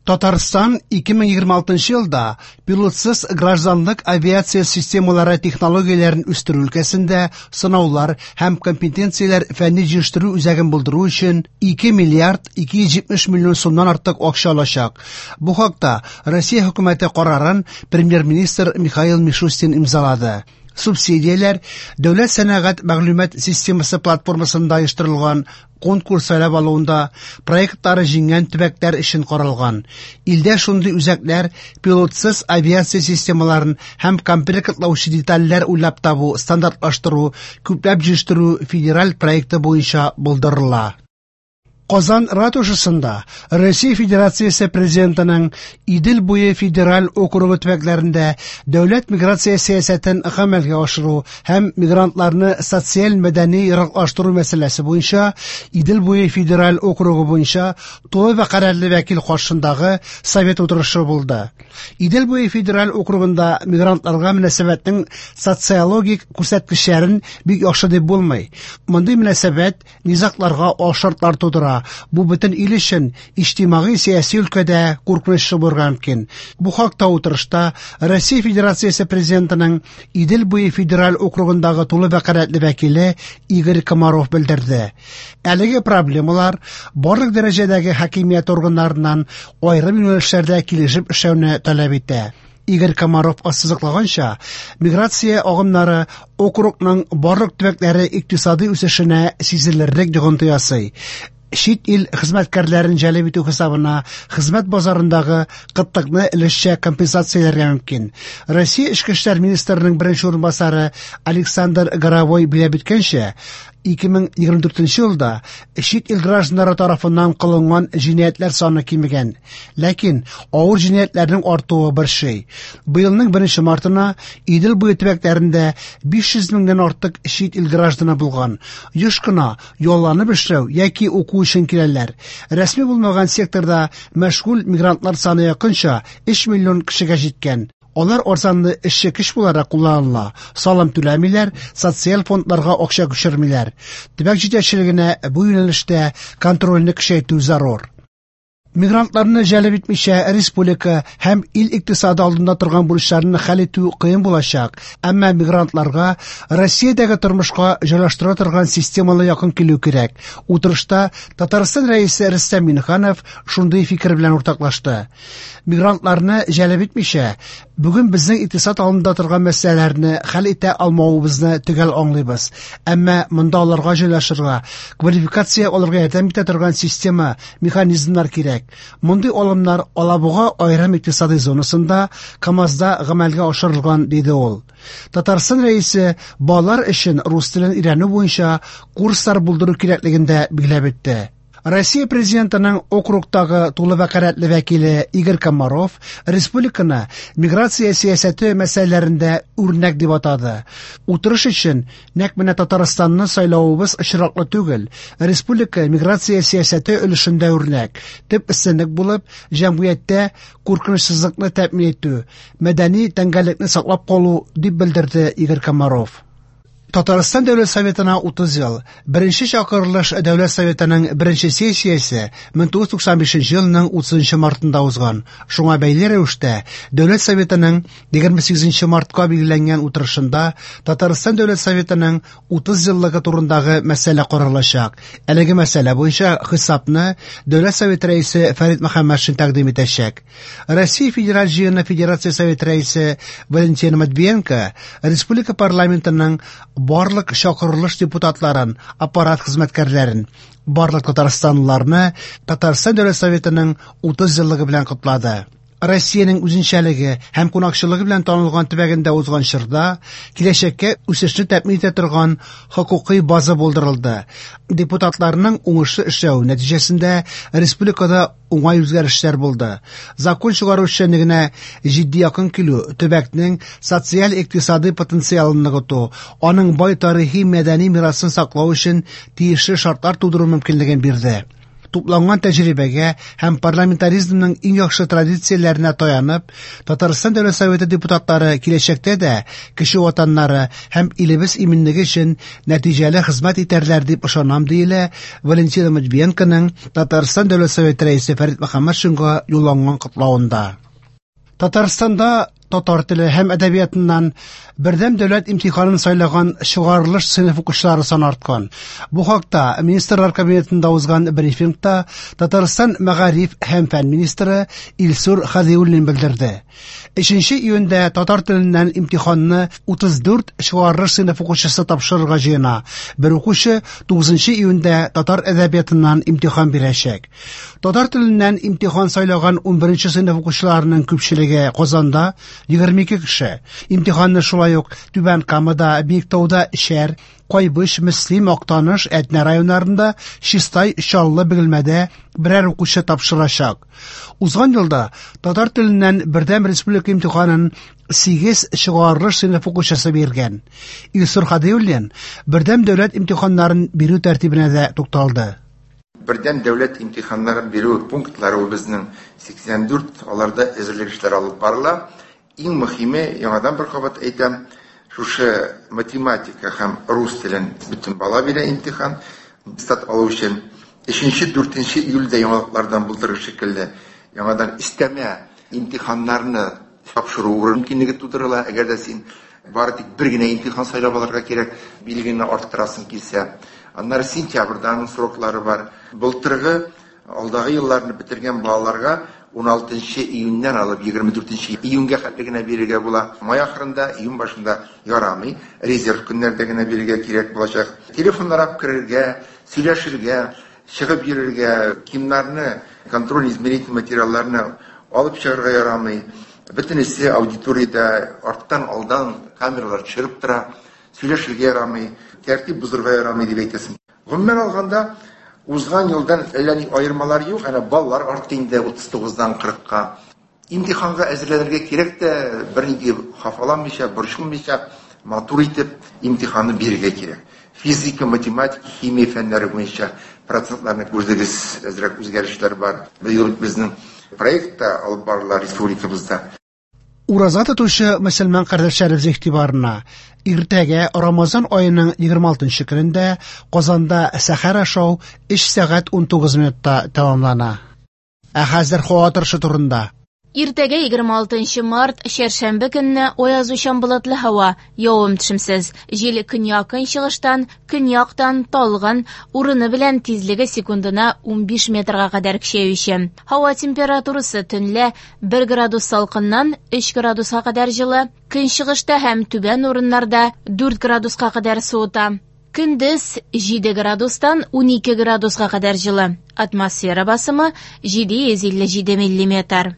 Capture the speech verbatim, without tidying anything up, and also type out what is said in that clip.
Татарстан ике мең егерме алтынчы елда пилотсыз гражданлык авиация системалары технологияләрен үстерү өлкәсендә сынаулар һәм компетенцияләр фәнни җитештерү үзәген булдыру өчен ике миллиард ике йөз җитмеш миллион сумнан артык акча алачак. Бу хакта Россия хөкүмәте карарын премьер-министр Михаил Мишустин имзалады. Субсидияләр Дәүләт сәнәгать мәгълүмат системасы платформасында оештырылган конкурс сайлап алуында проектлары җиңгән төбәкләр өчен каралган. Илдә шундый үзәкләр пилотсыз авиация системаларын һәм комплектлаучы детальләр уйлап табу, стандартлаштыру, күпләп җитештерү федераль проекты буенча булдырыла. Казан ратушасында Россия Федерациясе Президентының Идел буе федераль округы төбәкләрендә дәүләт миграция сәясәтен гамәлгә ашыру һәм мигрантларны социаль-мәдәни яраклаштыру мәсьәләсе буенча Идел буе федераль округы буенча тулы вәкаләтле вәкил каршындагы совет утырышы булды. Идел буе федераль округында мигрантларга мөнәсәбәтнең социологик күрсәткечләрен бик яхшы дип булмый. Мондый мөнәсәбәт низагларга алшартлар тудыра. Бу бөтен ил өчен иҗтимагый-сәяси өлкәдә куркыныч булырга мөмкин. Бу хакта утырышта Россия Федерациясе Президентының Идел буе федераль округындагы тулы вәкаләтле вәкиле Игорь Комаров белдерде. Әлеге проблемалар барлык дәрәҗәдәге хакимият органнарыннан аерым юнәлешләрдә килешеп эшләүне таләп итә. Игорь Комаров ассызыклаганча, миграция агымнары округның барлык төбәкләре икътисади үсешенә сизелерлек йогынты ясый. Чит ил хезмәткәрләрен җәлеп итү хисабына хезмәт базарындагы кытлыкны өлешчә компенсацияләргә мөмкин. Россия Эчке эшләр министрының беренче урынбасары Александр Горовой билгеләп үткәнчә, ике мең егерме дүртенче елда чит ил гражданнары тарафыннан кылынган җинаятьләр саны кимегән, ләкин авыр җинаятьләрнең артуы борчый. Быелның беренче мартына Идел буе төбәкләрендә биш йөз меңнән артык чит ил гражданы булган. Еш кына ялланып эшләү яки уку өчен киләләр. Рәсми булмаган секторда мәшгуль мигрантлар саны якынча өч миллион кешегә җиткән. Алар арзанлы эшче көч буларак кулланыла, салым түләмиләр, социаль фондларга акча күчермиләр. Төбәк җитәкчелегенә бу юнәлештә контрольне көчәйтү зарур. Мигрантларны җәлеп итмичә республика һәм ил икътисады алдында торган бурычларны хәл итү кыен булачак. Әмма мигрантларга Россиядәге тормышка җайлаштыра торган системалы якын килү кирәк. Утырышта Татарстан Рәисе Рөстәм Миңнеханов шундый фикер белән уртаклашты. Мигрантларны җәлеп итмичә, бүген безнең икътисад алдында торган мәсьәләләрне хәл итә алмавыбызны төгәл аңлыйбыз. Әмма монда аларга җайлашырга, квалификация алырга ярдәм итә торган система, механизмнар кирәк. Мондый алымнар Алабуга аерым икътисади зонасында КАМАЗда гамәлгә ашырылган, диде ул. Татарстан Рәисе балалар өчен рус телен өйрәнү буенча курслар булдыру кирәклеген дә билгеләп үтте. Россия Президентының округтагы тулы вәкаләтле вәкиле Игорь Комаров республиканы миграция сәясәте мәсьәләләрендә үрнәк дип атады. Утырыш өчен нәкъ менә Татарстанны сайлавыбыз очраклы түгел. Республика миграция сәясәте өлешендә үрнәк. Төп өстенлек булып, җәмгыятьтә куркынычсызлыкны тәэмин итү, мәдәни тәңгәллекне саклап калу, дип белдерде Игорь Комаров. Татарстан Дәүләт Советына утыз ел. Беренче чакырылыш Дәүләт Советының беренче сессиясе мең тугыз йөз туксан бишенче елның утызынчы мартында узган. Шуңа бәйле рәвештә Дәүләт Советының егерме сигезенче мартка билгеләнгән утырышында Татарстан Дәүләт Советының утыз еллыгы турындагы мәсьәлә каралачак. Әлеге мәсьәлә буенча хисапны Дәүләт Советы рәисе Фәрит Мөхәммәтшин тәкъдим итәчәк. Россия Федераль Җыены Федерация Советы рәисе Валентина Матвиенко республика парламентының барлык чакырылыш депутатларын, аппарат хезмәткәрләрен, барлык татарстанлыларны Татарстан Дәүләт Советының утыз еллыгы белән котлады. Россиянең үзенчәлеге һәм кунакчылыгы белән танылган төбәгендә узган чорда киләчәккә үсешне тәэмин итә торган хокукый база булдырылды. Депутатларның уңышлы эшләү нәтиҗәсендә республикада уңай үзгәрешләр булды. Закон чыгару эшчәнлегенә җитди якын килү төбәкнең социаль-икътисади потенциалын ныгыту, аның бай тарихи мәдәни мирасын саклау өчен тиешле шартлар тудыру мөмкинлеген бирде. Тупланган тәҗрибәгә һәм парламентаризмның иң яхшы традицияләренә таянып, Татарстан Дәүләт Советы депутатлары киләчәктә дә кече ватаннары һәм илебез иминлеге өчен нәтиҗәле хезмәт итәрләр дип ышанам, диелә Валентина Матвиенконың Татарстан Дәүләт Советы рәисе Фәрит Мөхәммәтшинга юлланган котлавында. Татарстанда татар теле һәм әдәбиятыннан бердәм дәүләт имтиханын сайлаган чыгарылыш сыйныф укучылары саны арткан. Бу хакта Министрлар Кабинетында узган брифингта Татарстан мәгариф һәм фән министры Илсур Хадиуллин белдерде. Өченче июньдә татар теленнән имтиханны утыз дүрт чыгарылыш сыйныф укучысы тапшырырга җыена. Бер укучы тугызынчы июньдә татар әдәбиятыннан имтихан бирәчәк. Татар теленнән имтихан сайлаган унберенче сыйныф укучыларының күпчелеге Казанда егерме ике кеше. Имтиханны шулай ук Түбән Камада, Биектауда Шәр, Кайбыч, Мөслим, Актаныш, Әтнә районнарында, Чистай, Чаллы, Бөгелмәдә берәр укучы тапшырачак. Узган елда татар теленнән бердәм республика имтиханын сигез чыгарылыш сыйныф укучысы биргән. Илсур Хадиуллин бердәм дәүләт имтиханнарын бирү тәртибенә дә тукталды. Бердәм дәүләт имтиханнарын бирү пунктлары безнең сиксән дүрт, аларда әзерлек эшләре алып барыла. Иң мөһиме, яңадан бер кабат әйтәм, шушы математика һәм рус телен бөтен бала бирә имтихан, стат алу өчен. Өченче, дүртенче июльдә яңалыклардан булдырыр шикелле яңадан өстәмә имтиханнарны тапшыру мөмкинлеге тудырыла. Әгәр дә син бары тик бер генә имтихан сайлап алырга кирәк, билгене арттырасың килсә. Аннары сентябрьдә аның сроклары бар. Былтыргы алдагы елларны бетергән балаларга ун алтынчы июньнән алып егерме дүртенче июньгә хәтле генә бирергә була. Май ахырында, июнь башында ярамый, резерв көннәрдә генә бирергә кирәк булачак. Телефоннар алып керергә, сөйләшергә, чыгып йөрергә, кимнарны, контроль измерительный материалларны алып чыгарга ярамый. Бөтенесе аудиториядә арттан алдан камералар төшереп тора, сөйләшергә ярамый, тәртип бозырга ярамый дип әйтәсең. Гомумән алганда, узган елдан әллә ни аермалар юк, әнә баллар артты инде утыз тугыздан кырыкка. Имтиханга әзерләнергә кирәк тә, бернинди хафаланмыйча, борчылмыйча, матур итеп имтиханны бирергә кирәк. Физика, математика, химия фәннәре буенча процентларны күрдегез, әзрәк үзгәрешләр бар. Быел безнең проект та алып барыла республикабызда. Ураза тотучы мөселман кардәшләребез игътибарына, иртәгә Рамазан аеның егерме алтынчы көнендә Казанда сәхәр ашау өч сәгать унтугыз минутта тәмамлана. Ә хәзер һава торышы турында. Иртәгә егерме алтынчы март, чәршәмбе көнне аязучан болытлы һава, явым-төшемсез. Җил көньяк-көнчыгыштан, көньяктан талгын, урыны белән тизлеге секундына унбиш метрга кадәр көчәюче. Һава температурасы төнлә бер градус салкыннан өч градуска кадәр җылы, көнчыгышта һәм түбән урыннарда дүрт градуска кадәр суыта. Көндез җиде градустан унике градуска кадәр җылы. Атмосфера басымы җиде йөз илле җиде миллиметр.